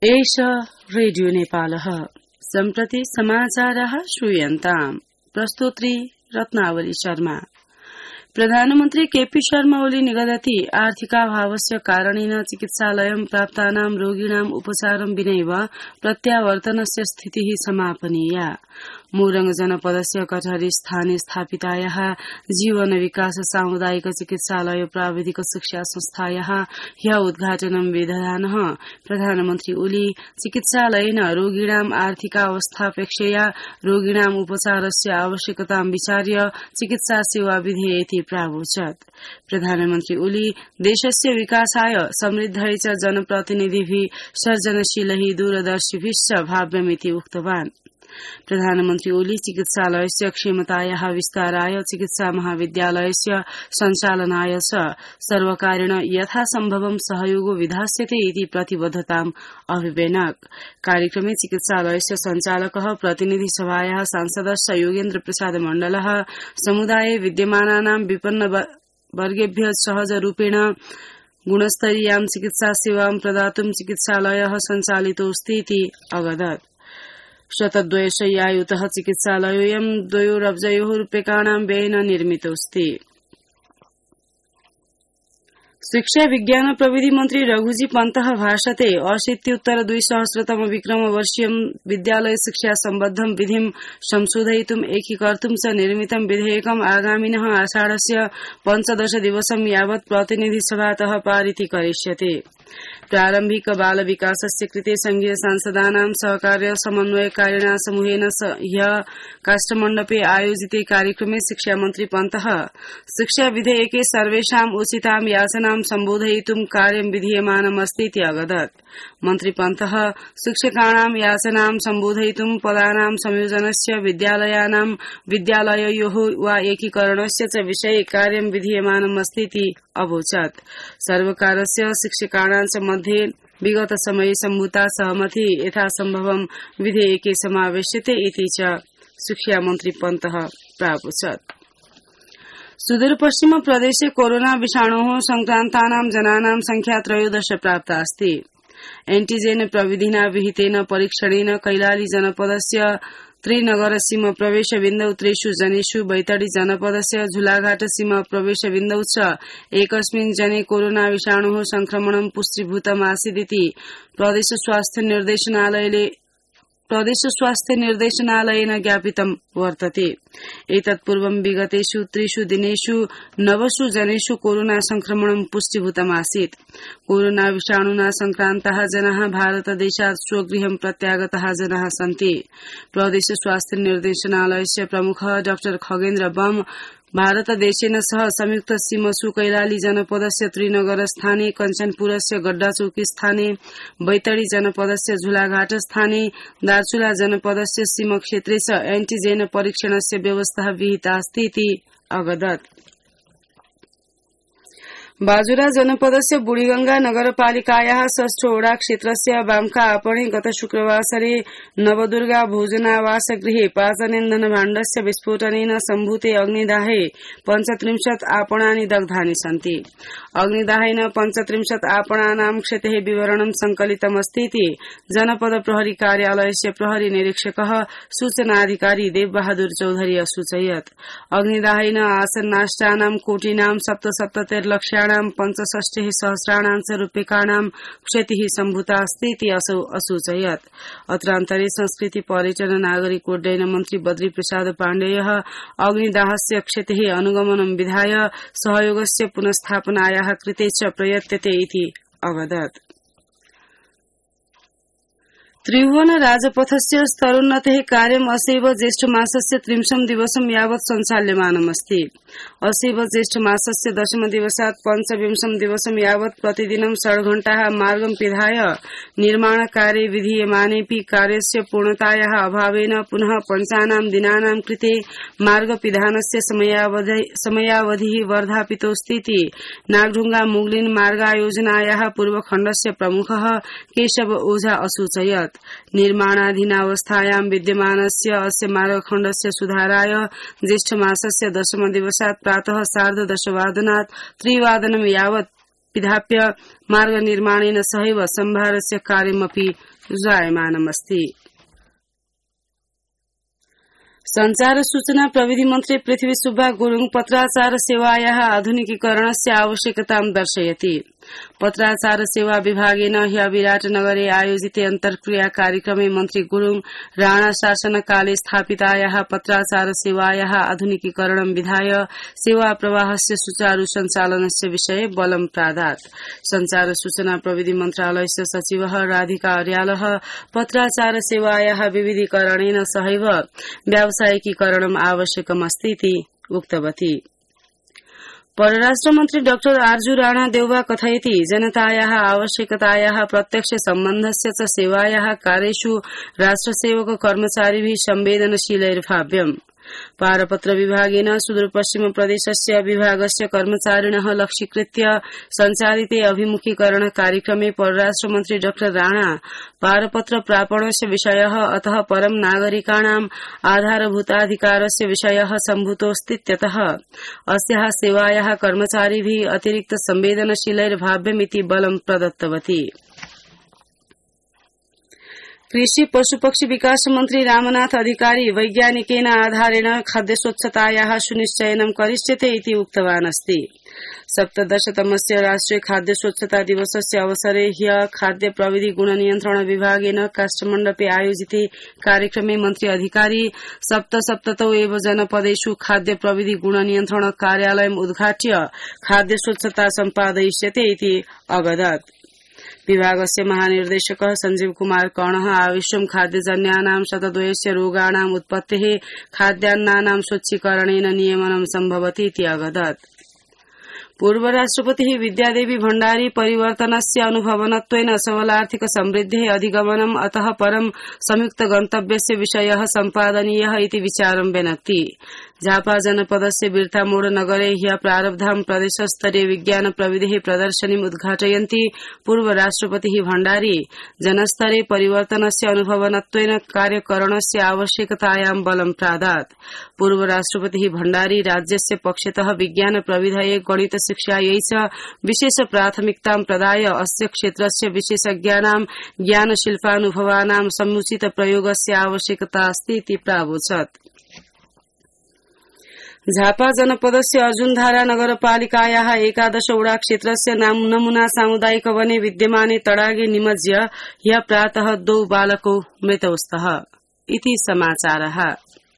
एष रेडियो नेपालः सम्प्रति समाचारः श्रूयन्ताम्। प्रस्तोत्री रत्नावली शर्मा। प्रधानमन्त्री केपी शर्मा ओली निगदति आर्थिकाभावस्य कारणेन चिकित्सालयं प्राप्तानां रोगिणां उपचारं विनैव प्रत्यावर्तनस्य स्थितिः समापनीया। मोरङ जनपदस्य कटहरी स्थाने स्थापितायाः जीवन विकास सामुदायिक चिकित्सालय प्राविधिक शिक्षा संस्थायाः ह्य उद्घाटनं विदधानः प्रधानमन्त्री ओली चिकित्सालयेन रोगिणां आर्थिकावस्थापेक्षया रोगिणां उपचारस्य आवश्यकतां विचार्य चिकित्सा सेवा विधेयेति प्रावोचत्। प्रधानमन्त्री ओली देशस्य विकासाय समृद्धै च जनप्रतिनिधिभिः सर्जनशीलैः दूरदर्शिभिश्च भाव्यमिति उक्तवान्। प्रधानमन्त्री ओली चिकित्सालयस्य क्षमतायाः विस्ताराय चिकित्सा महाविद्यालयस्य सञ्चालनाय च सर्वकारेण यथासम्भवं सहयोगो विधास्यते इति प्रतिबद्धताम् अभिव्यनक्। कार्यक्रमे चिकित्सालयस्य सञ्चालकः प्रतिनिधि सभायाः सांसदश्च योगेन्द्र प्रसाद मण्डलः समुदाये विद्यमानानां विपन्न वर्गेभ्यः सहजरूपेण गुणस्तरीयां चिकित्सा सेवां प्रदातुं चिकित्सालयः सञ्चालितोऽस्ति इति अवदत्। शतद्वयशय्यायुतः चिकित्सालयोऽयं 2 अब्जयोः रूप्यकाणां व्ययेन निर्मितोऽस्ति। शिक्षा विज्ञान प्रविधि मन्त्री रघुजी पन्तः भाषते 80-2000 विक्रमवर्षीयं विद्यालय शिक्षा सम्बद्धं विधिं संशोधयितुम् एकीकर्तुं च निर्मितं विधेयकम् आगामिनः आषाढस्य 15 दिवसं यावत् प्रतिनिधिसभातः पारितीकरिष्यते। प्रारम्भिक बाल विकासस्य कृते संघीय सांसदानां सहकार्य समन्वयकारिणा समूहेन ह्य काष्ठमण्डपे आयोजिते कार्यक्रमे शिक्षा मन्त्री पन्तः शिक्षा विधेयके सर्वेषाम् उचितां याचनां सम्बोधयितुं कार्यं विधीयमानमस्ति इति अवदत्। मन्त्री पन्तः शिक्षकाणां याचनां सम्बोधयितुं पदानां संयोजनस्य विद्यालययोः वा एकीकरणस्य च विषये कार्यं विधीयमानमस्ति इति अवोचत्। सर्वकारस्य शिक्षकाणां च मध्ये विगत समये सम्भूता सहमति यथासम्भवं विधेयके समावेश्यते इति च शिक्षा मन्त्री पन्तः प्रावोचत्। सुदूरपश्चिम प्रदेशे कोरोना विषाणोः संक्रान्तानां जनानां संख्या 13 प्राप्ता अस्ति। एन्टिजेन प्रविधिना विहितेन परीक्षणेन कैलाली जनपदस्य त्रिनगर सीमा प्रवेश बिन्दौ 3 जनेषु बैतडी जनपदस्य झुलाघाट सीमा प्रवेश बिन्दौ च एकस्मिन् जने कोरोना विषाणोः संक्रमणं पुष्टीभूतमासीदिति प्रदेश स्वास्थ्य निर्देशनालयेन ज्ञापितं वर्तते। एतत्पूर्वं विगतेषु 3 दिनेषु 9 जनेषु कोरोना संक्रमणं पुष्टीभूतमासीत्। कोरोना विषाणुना संक्रान्ताः जनाः भारतदेशात् स्वगृहं प्रत्यागताः जनाः सन्ति। प्रदेश स्वास्थ्य निर्देशनालयस्य प्रमुखः डॉ खगेन्द्र बम भारतदेशेन सह संयुक्त सीमसु कैलाली जनपदस्य त्रिनगर स्थाने, कञ्चनपुरस्य गड्डाचौकी स्थाने, बैतडी जनपदस्य झुलाघाट स्थाने, दार्चुला जनपदस्य सीमक्षेत्रे च एन्टिजेन परीक्षणस्य व्यवस्था विहिता अस्ति इति अवदत्। बाजुरा जनपदस्य बुढीगंगा नगरपालिकायाः षष्ठोडा क्षेत्रस्य बाम्का आपणे गत शुक्रवासरे नवदुर्गा भोजनावास गृहे पाचनेन्धन भाण्डस्य विस्फोटनेन सम्भूते अग्निदाहे 35 आपणानि दग्धानि सन्ति। अग्निदाहेन 35 आपणानां क्षतेः विवरणं संकलितमस्ति इति जनपद प्रहरी कार्यालयस्य प्रहरी निरीक्षकः सूचनाधिकारी देवबहादुर चौधरी असूचयत्। अग्निदाहेन आसन्नाष्टानां कोटिनां 77 लक्षाणां 65,000 च रूप्यकाणां क्षतिः सम्भूता अस्ति इति असौ असूचयत्। अत्रान्तरे संस्कृति पर्यटन नागरिक उड्डयन मन्त्री बद्री प्रसाद पाण्डेयः अग्निदाहस्य क्षतेः अनुगमनं विधाय सहयोगस्य पुनस्थापनायाः कृते च प्रयत्यते इति अवदत्। त्रिभुवन राजपथस्य स्तरोन्नतेः कार्यम् असेव ज्येष्ठमासस्य 30 दिवसं यावत् सञ्चाल्यमानमस्ति। असेव ज्येष्ठमासस्य 10 दिवसात् 25 दिवसं यावत् प्रतिदिनं 6 घण्टाः मार्गं पिधाय निर्माणकार्ये विधीयमानेऽपि कार्यस्य पूर्णतायाः अभावेन पुनः पञ्चानां दिनानां कृते मार्गपिधानस्य समयावधिः वर्धापितोऽस्ति इति नागढुङ्गा मुगलिन मार्गायोजनायाः पूर्वखण्डस्य प्रमुखः केशव ओझा असूचयत्। निर्माणाधीनावस्थायां विद्यमानस्य अस्य मार्गखण्डस्य सुधाराय ज्येष्ठमासस्य 10 दिवसात् प्रातः 10:30 वादनात् 3 वादनं यावत् पिधाप्य मार्ग निर्माणेन सहैव सम्भारस्य कार्यमपि जायमानमस्ति। संचार सूचना प्रविधि मन्त्री पृथ्वी सुब्बा गुरुङ पत्राचार सेवायाः आधुनिकीकरणस्य आवश्यकतां दर्शयति। पत्राचार सेवा विभागेन ह्य विराटनगरे आयोजिते अन्तर्क्रिया कार्यक्रमे मन्त्री गुरुङ राणा शासनकाले स्थापितायाः पत्राचार सेवायाः आधुनिकीकरणं विधाय सेवा प्रवाहस्य सुचारू सञ्चालनस्य विषये बलं प्रादात्। संचार सूचना प्रविधि मन्त्रालयस्य सचिवः राधिका अर्यालः पत्राचार सेवायाः विविधीकरणेन सहैव व्यावसायिकीकरणम् आवश्यकमस्ति इति उक्तवती। परराष्ट्र मन्त्री डाक्टर आर्जु राणा देउवा कथयति जनतायाः आवश्यकतायाः प्रत्यक्ष सम्बन्धस्य च सेवायाः कार्येषु राष्ट्रसेवक कर्मचारिभिः संवेदनशीलैर्भाव्यम्। पारपत्र विभागेन सुदूरपश्चिम प्रदेशस्य विभागस्य कर्मचारिणः लक्ष्यीकृत्य सञ्चालिते अभिमुखीकरण कार्यक्रमे परराष्ट्र मन्त्री डाक्टर राणा पारपत्र प्रापणस्य विषयः अतः परं नागरिकाणाम् आधारभूताधिकारस्य विषयः सम्भूतोऽस्तीत्यतः अस्याः सेवायाः कर्मचारिभिः अतिरिक्त संवेदनशीलैर्भाव्यमिति बलं प्रदत्तवती। कृषि पशुपक्षी विकास मन्त्री रामनाथ अधिकारी वैज्ञानिकेन आधारेण खाद्य स्वच्छतायाः सुनिश्चयनं करिष्यते इति उक्तवान् अस्ति। 17तमस्य राष्ट्रिय खाद्य स्वच्छता दिवसस्य अवसरे ह्य खाद्य प्रविधि गुणनियन्त्रण विभागेन काष्ठमण्डपे आयोजिते कार्यक्रमे मन्त्री अधिकारी सप्ततौ एव जनपदेषु खाद्य प्रविधि गुणनियन्त्रण कार्यालयम् उद्घाट्य खाद्य स्वच्छता सम्पादयिष्यते इति अवदत्। विभागस्य महानिर्देशकः संजीव कुमार कर्णः आविश्वं खाद्यजन्यानां शतद्वयस्य रोगाणाम् उत्पत्तेः खाद्यान्नानां स्वच्छीकरणेन नियमनं सम्भवति इति अवदत्। पूर्व राष्ट्रपतिः विद्यादेवी भण्डारी परिवर्तनस्य अनुभवनत्वेन सबलार्थिक समृद्धेः अधिगमनम् अतः परं संयुक्त गन्तव्यस्य विषयः सम्पादनीयः इति विचारं व्यनक्ति। झापा जनपदस्य बिर्तामोड़ नगरे ह्य प्रारब्धां प्रदेशस्तरीय विज्ञान प्रविधेः प्रदर्शनीम् उद्घाटयन्ती पूर्व राष्ट्रपतिः भण्डारी जनस्तरे परिवर्तनस्य अनुभवनत्वेन कार्यकरणस्य आवश्यकतायां बलं प्रादात्। पूर्व राष्ट्रपतिः भण्डारी राज्यस्य पक्षतः विज्ञान प्रविधये गणित शिक्षायै च विशेष प्राथमिकतां प्रदाय अस्य क्षेत्रस्य विशेषज्ञानां ज्ञानशिल्पानुभवानां समुचित प्रयोगस्य आवश्यकता अस्ति इति प्रावोचत्। झापा जनपदस्य अर्जुनधारा नगरपालिकायाः 11 वडा क्षेत्रस्य नमूना सामुदायिक वने विद्यमाने तडागे निमज्य ह्य प्रातः 2 बालकौ मृतौ स्तः इति समाचारः।